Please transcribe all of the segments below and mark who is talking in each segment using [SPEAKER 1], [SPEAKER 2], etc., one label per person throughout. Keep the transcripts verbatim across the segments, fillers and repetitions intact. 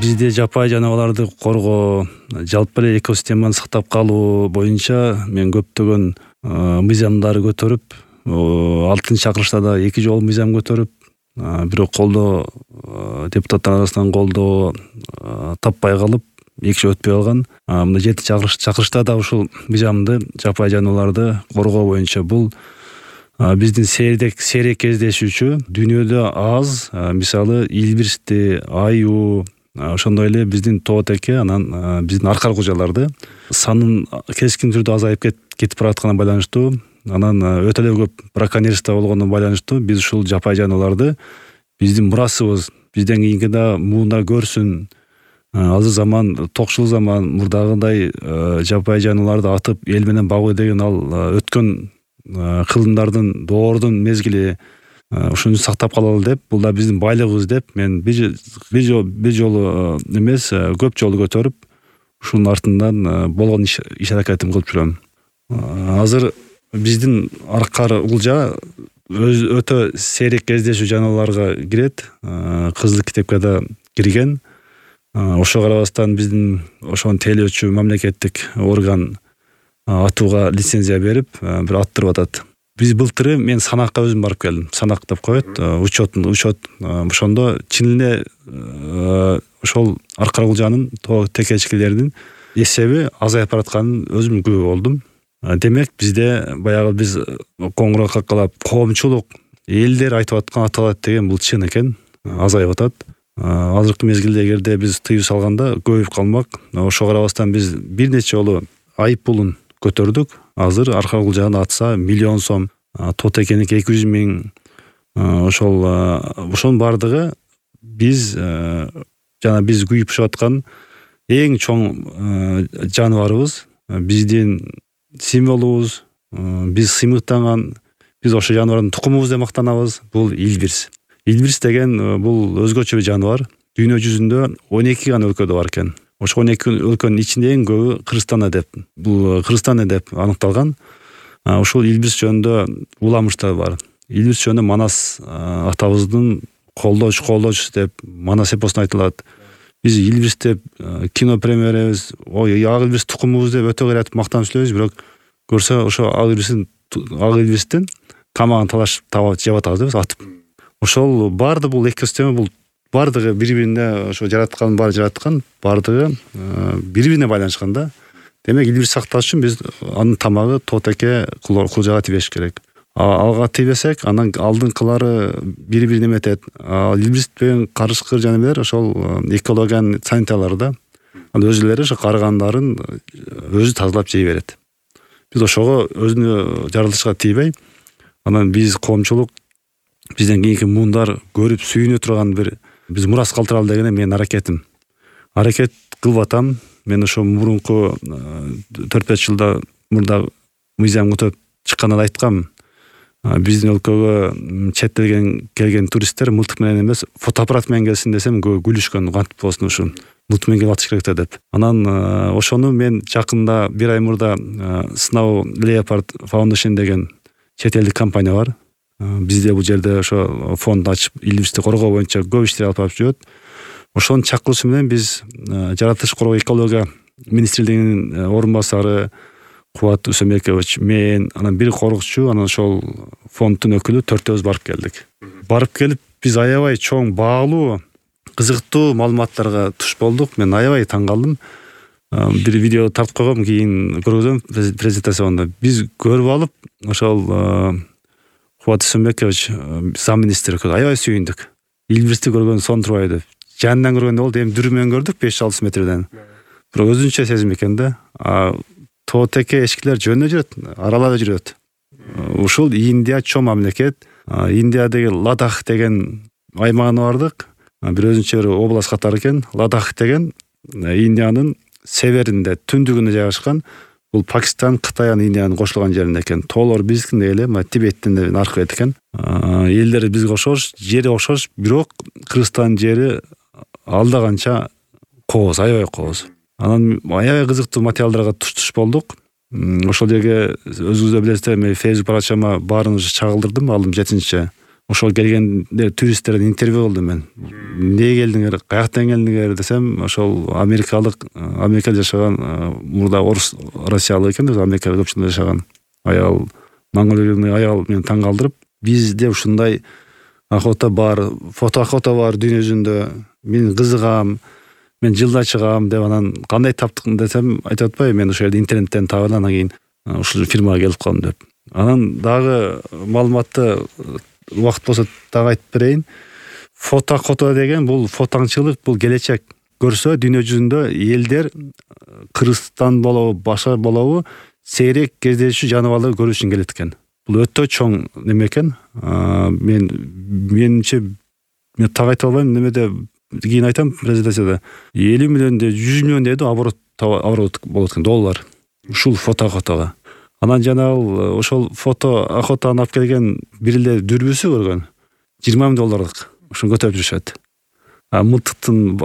[SPEAKER 1] Бизде жапайы жаныбарларды коргоо, жалпы эле экосистеманы сактап калуу боюнча мен көптөгөн мыйзамдарды көтөрүп, алтынчы чакырылышта да эки жолу мыйзам көтөрүп, бирок колдоо депутаттар арасынан колдоо таппай калып, эки жыл өтпөй калган. Мына жетинчи чакырылышта да ушул мыйзамды жапайы жаныбарларды коргоо боюнча бул биздин сейрек сейрек кездешүүчү дүйнөдө аз, мисалы илбирсти, аюу, ошондой эле биздин тоотеке, анан биздин аркар кужаларды санын кескин түрдө азайып кетип баратканына байланыштуу, анан өтө эле көп браконьерство болгондон байланыштуу биз ушул жапайы жаныбарларды биздин мурасыбыз, бизден кийинки да муунда көрсүн. Азыр заман токчул заман, мурдагыдай жапайы жаныбарларды атып эл менен багуу деген ал өткөн кылымдардын доордун мезгили. Ушуну сактап калалы деп, бул да биздин байлыгыбыз деп мен бир жолу бир жолу эмес, көп жолу көтөрүп, ушунун артынан болгон иш аракетим кылып жүрөм. Азыр биздин аркар кулжа өтө сейрек кездешүү жаныбарларга кирет, кызыл китепке да кирген. Ошого карабастан биздин ошону тейлөөчү мамлекеттик орган атууга лицензия берип, бир аттырып атат. Биз былтыры мен санакка өзүм барып келдим. Санак деп коет, учет, учет. Ошондо чын эле ошол аркар кулжанын текечкилеринин эсеби азайып баратканын өзүм күбө болдум. Демек бизде баягы биз коңгуроо каккалап коомчулук элдер айтып аткан аталат деген бул чын экен, азайып атат. Азыркы мезгилде эгерде биз тыюу салганда көбөйүп калмак. Ошого карабастан биз бир нече жолу айып пулун көтөрдүк. Азыр аркар кулжаны атса миллион сом, тоотекеники эки жүз миң. Ошол ошонун бардыгы биз жана биз күйүп бушап аткан эң чоң жаныбарыбыз, биздин символубуз, биз сыймыктанган, биз ошо жаныбардын тукумубуз деп мактанабыз. Бул илбирс. Илбирс деген бул өзгөчө бир жаныбар. Дүйнө жүзүндө он эки гана өлкөдө бар экен. Ошо он эки өлкөнүн ичинде эң көбү Кыргызстан деп, бул Кыргызстан деп аныкталган. Ушул илбирс жөнүндө уламыштар бар. Илбирс жөнүндө Манас атабыздын колдооч колдоочусу деп Манас эпосунда айтылат. Биз илбирс деп кино премьеребиз, ой, ак илбирс тукумубуз деп өтө кыйратып мактанып сүйлөйбүз, бирок көрсө ошо ак илбирстин ак илбирстин тамагын талашып таап жеп атабыз деп атып. Ошол баарды бул экосистема, бул бардыгы бири-бирине ошо жараткан, баары жараткан, бардыгы бири-бирине байланышкан да. Демек илбирс сакташ үчүн биз анын тамагы тоотеке кулжага тийбеш керек. Алга тийбесек, анан алдыңкылары бири-бирине эметет. Илбирс менен карышкыр жаныбарлар ошол экологиянын санитарлары да. Анан өзүлөрү ошо каргандарын өзү тазалап жей берет. Биз ошого өзүнө жарылышка тийбей, анан биз коомчулук бизден кийинки муундар көрүп сүйүнө турган бир биз мурас калтыралы деген менин аракетим. Аракет кылып атам. Мен ошо мурунку төрт беш жылда мурда мыйзам көтөрүп чыкканда айткам. Биздин өлкөгө чет элден келген туристтер мылтык менен эмес, фотоаппарат менен келсин десем, күлүшкөн, кантип болсун ушу. Мылтык менен келип атыш керек да деп. Анан ошону мен жакында бир ай мурда Snow Leopard Foundation деген чет элдик компания бар. Бизде бул жерде ошо фонд ачып, илбирсти коргоо боюнча көп иштер алып барып жүрөт. Ошонун чакырышы менен биз жаратылыш коргоо экология министрлигинин орун басары Кубат Усембекович, мен, анан бир коргоочу, анан ошол фонддун өкүлү төртөөбүз барып келдик. Барып келип биз аябай чоң, баалуу, кызыктуу маалыматтарга туш болдук. Мен аябай таң калдым. Бир видео тартып койгом, кийин көргөзөм презентацияда. Биз көрүп алып, ошол Кубат Усембекович замминистр аябай сүйүндүк. Илбирсти көргөн сон турбай деп. Жанынан көргөндө болду, эми дүрү менен көрдүк беш алты метрден. Бирок өзүнчө сезим экен да. Тоотеке эшкилер жөнүнө жүрөт, аралап жүрөт. Ушул Индия чоң мамлекет. Индиядагы Ладах деген аймагына бардык. Бир өзүнчө бир область катары экен. Ладах деген Индиянын северинде, түндүгүндө жайгашкан. Бул Пакистан, Кытай, Индиянын кошулган жеринде экен. Тоолор биздикиндей эле, Тибеттин наркы экен. Элдери бизге окшош, жери окшош, бирок Кыргызстан жери алда канча кооз, аябай кооз. Анан аябай кызыктуу материалдарга туш-туш болдук. Ошол жерге өзүңүз да билесиздер, мен Facebook баракчама баарыңызды чагылдырдым, алдым жетинчи ошол келгенде туристтерден интервью кылдым мен. Эмне келдиңер, каяктан келдиңер десем, ошол америкалык, Америкада жашаган, мурда орус, россиялык экен, Америкада көпчүлүк жашаган аял, Монголиялык аял мени таң калтырып, бизде ушундай охота бар, фото охота бар дүйнө жүзүндө. Мен кызыгам, мен жылда чыгам деп, анан кандай таптык десем, айтып атпайбы, мен ошол жерде интернеттен таап анан кийин ушул фирмага келип калдым деп. Анан дагы маалыматты убакыт болсо дагы айтып берейин. Фото охота деген бул фотоаңчылык, бул келечек. Көрсө дүйнө жүзүндө элдер Кыргызстан болобу, башка болобу, сейрек кездешүү жаныбарларды көрүү үчүн келет экен. Бул өтө чоң неме экен. Мен менимче мен так айта албайм, немеде кийин айтам презентацияда. элүү миллион де жүз миллион деди оборот оборот болот экен, доллар. Ушул фото охотага. Анан жанагы ошол фото охотаны алып келген бир эле дүрбүсү көргөн жыйырма миң долларлык. Ушуну көтөрүп жүрүшөт. А мылтыктын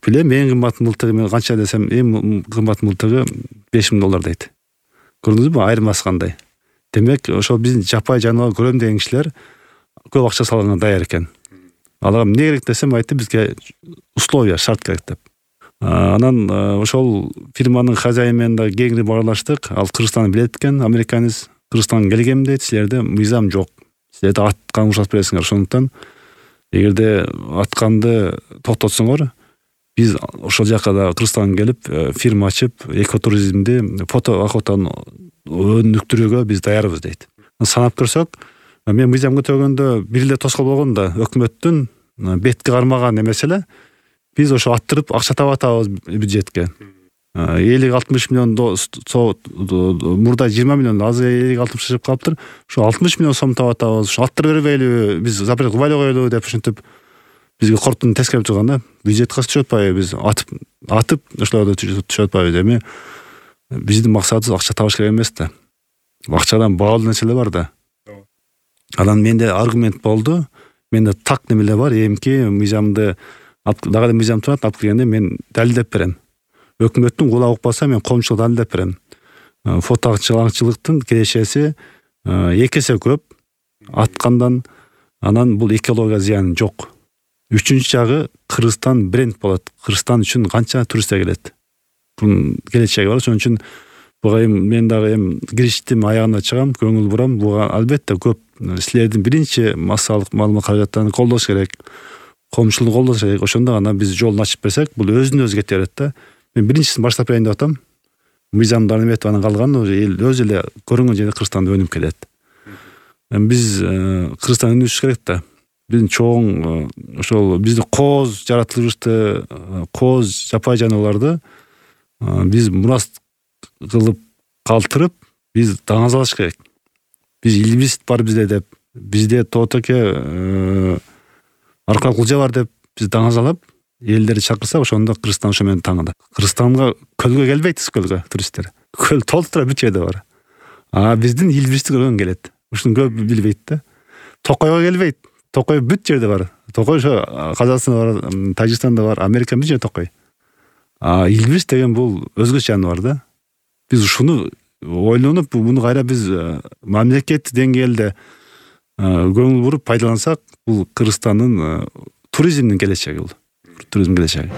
[SPEAKER 1] билем, эң кымбат мылтыгы мен канча десем, эң кымбат мылтыгы беш миң доллар дейт. Көрдүңүзбү, айырмасы кандай? Демек, ошол биздин жапай жаныбар көрөм деген кишилер көп акча салганга даяр экен. Аларга эмне керек десем, айтты, бизге условия, шарт керек деп. Анан ошол фирманын хозяйны менен да кеңири баарлаштык. Ал Кыргызстанды билет экен, американец. Кыргызстанга келгем дейт, силерде мыйзам жок. Силерде аткан уруксат бересиңер, ошондуктан эгерде атканды токтотсоңор, биз ошол жака да Кыргызстанга келип фирма ачып, экотуризмди, фото охотаны өнүктүрүүгө биз даярбыз дейт. Санап көрсөк, мен мыйзам көтөргөндө бир эле тоскоол болгон да өкмөттүн бетке кармаган эмеси эле. Биз ошо аттырып акча таап атабыз бюджетке. элүү алтымыш миллион мурда жыйырма миллион, азыр элүү алтымыш чыгып калыптыр. Ошо алтымыш миллион сом таап атабыз. Ошо аттырып бербейлиби, биз запрет кылбай эле коелу деп ушинтип бизге корктун тескерип турган да. Бюджетке түшүп атпайбы, биз атып атып ошолордо түшүп атпайбы. Эми биздин максатыбыз акча табыш керек эмес да. Акчадан баалуу нерселер бар да. Анан менде аргумент болду. Менде так немелер бар, эмки мыйзамды дагы мыйзам турат, алып келгенде мен далилдеп берем. Өкмөттүн кулагы укпаса, мен коомчулукка далилдеп берем. Фотоаңчылыктын келечеси эки эсе көп аткандан, анан бул экология зыяны жок. Үчүнчү жагы, Кыргызстан бренд болот. Кыргызстан үчүн канча туристтер келет. Бунун келечеги бар. Ошон үчүн буга мен дагы эми кириштим, аягына чыгам, көңүл бурам. Буга албетте көп силердин биринчи массалык маалымат каражаттарын колдош керек. Коомчулукту колдош керек. Ошондо гана биз жолун ачып берсек, бул өзүнө өзү кете берет да. Мен биринчисин баштап берейин деп атам. Мыйзамдарды эметип анан калган эл өзү эле көрүнгөн жерде Кыргызстанда өнүп келет. Биз Кыргызстан өнүгүш керек да. Биздин чоң ошол бизди кооз жаратылышты, кооз жапай жаныбарларды биз мурас кылып калтырып, биз даңазалаш керек. Биз илбиз бар бизде деп, бизде тоотеке аркалык кулжа бар деп биз даңазалап, элдерди чакырсак, ошондо Кыргызстан ошо менен таңда. Кыргызстанга көлгө келбейт, көлгө туристтер. Көл толуп тура бүт жерде бар. А биздин илбизди көргөн келет. Ушуну көп билбейт да. Токойго келбейт. Токой бүт жерде бар. Токой ошо Казакстанда бар, Тажикстанда бар, Америка бүт жерде токой. А илбиз деген бул өзгөчө жаныбар да. Биз ушуну ойлонуп, муну кайра биз мамлекет деңгээлде көңүл буруп пайдалансак, бул Кыргызстандын туризмдин келечеги бул. Туризм келечеги.